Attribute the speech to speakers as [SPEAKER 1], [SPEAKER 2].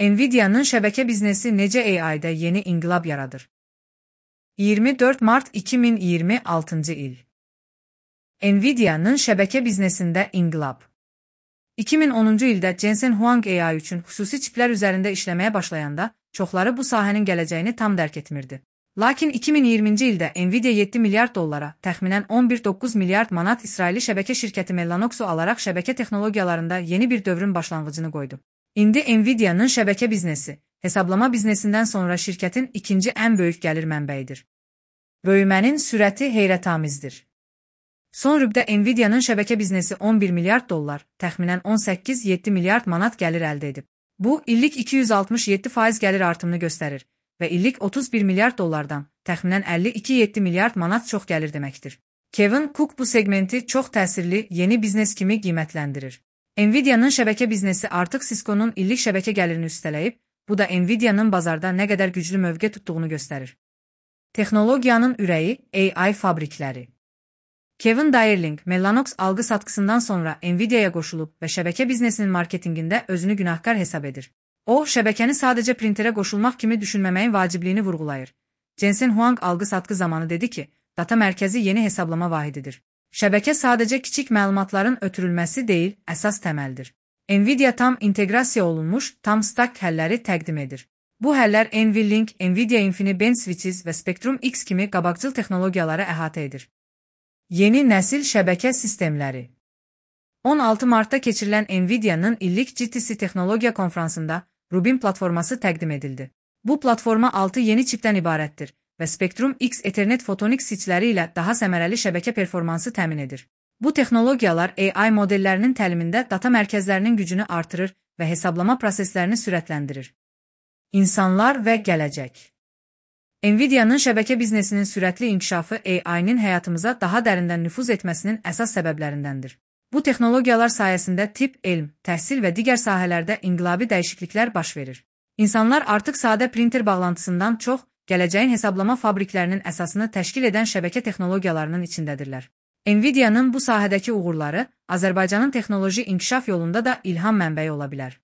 [SPEAKER 1] Nvidia'nın şəbəkə biznesi necə AI-da yeni inqilab yaradır? 24 Mart 2026 il. Nvidia'nın şəbəkə biznesində inqilab. 2010-cu ildə Jensen Huang AI üçün xüsusi çiplər üzərində işləməyə başlayanda, çoxları bu sahənin gələcəyini tam dərk etmirdi. Lakin 2020-ci ildə Nvidia 7 milyard dollara, təxminən 11,9 milyard manat İsraili şəbəkə şirkəti Mellanox'u alaraq şəbəkə texnologiyalarında yeni bir dövrün başlanğıcını qoydu. İndi Nvidia'nın şəbəkə biznesi, hesablama biznesindən sonra şirkətin ikinci ən böyük gəlir mənbəyidir. Böyümənin sürəti heyrətamizdir. Son rübdə Nvidia'nın şəbəkə biznesi 11 milyard dollar, təxminən 18,7 milyard manat gəlir əldə edib. Bu, illik 267% gəlir artımını göstərir və illik 31 milyard dollardan, təxminən 52,7 milyard manat çox gəlir deməkdir. Kevin Cook bu segmenti çox təsirli yeni biznes kimi qiymətləndirir. Nvidia'nın şəbəkə biznesi artıq Cisco'nun illik şəbəkə gəlirini üstələyib, bu da Nvidia'nın bazarda nə qədər güclü mövqe tutduğunu göstərir. Texnologiyanın ürəyi, AI fabrikləri. Kevin Dierling, Mellanox algı-satqısından sonra Nvidia'ya qoşulub və şəbəkə biznesinin marketinqində özünü günahkar hesab edir. O, şəbəkəni sadəcə printerə qoşulmaq kimi düşünməməyin vacibliyini vurğulayır. Jensen Huang algı-satqı zamanı dedi ki, data mərkəzi yeni hesablama vahididir. Şəbəkə sadəcə kiçik məlumatların ötürülməsi deyil, əsas təməldir. Nvidia tam inteqrasiya olunmuş, tam stack həlləri təqdim edir. Bu həllər NVLink, Nvidia InfiniBand Switches və Spectrum X kimi qabaqcıl texnologiyaları əhatə edir. Yeni nəsil şəbəkə sistemləri. 16 Martda keçirilən Nvidia'nın illik GTC Texnologiya konfransında Rubin platforması təqdim edildi. Bu platforma 6 yeni çipdən ibarətdir və Spectrum X Ethernet Photonics switchləri ilə daha səmərəli şəbəkə performansı təmin edir. Bu texnologiyalar AI modellərinin təlimində data mərkəzlərinin gücünü artırır və hesablama proseslərini sürətləndirir. İnsanlar və gələcək. Nvidia'nın şəbəkə biznesinin sürətli inkişafı AI-nin həyatımıza daha dərindən nüfuz etməsinin əsas səbəblərindəndir. Bu texnologiyalar sayəsində tibb, elm, təhsil və digər sahələrdə inqilabi dəyişikliklər baş verir. İnsanlar artıq sadə printer bağlantısından çox, gələcəyin hesablama fabriklərinin əsasını təşkil edən şəbəkə texnologiyalarının içindədirlər. Nvidia'nın bu sahədəki uğurları Azərbaycanın texnoloji inkişaf yolunda da ilham mənbəyi ola bilər.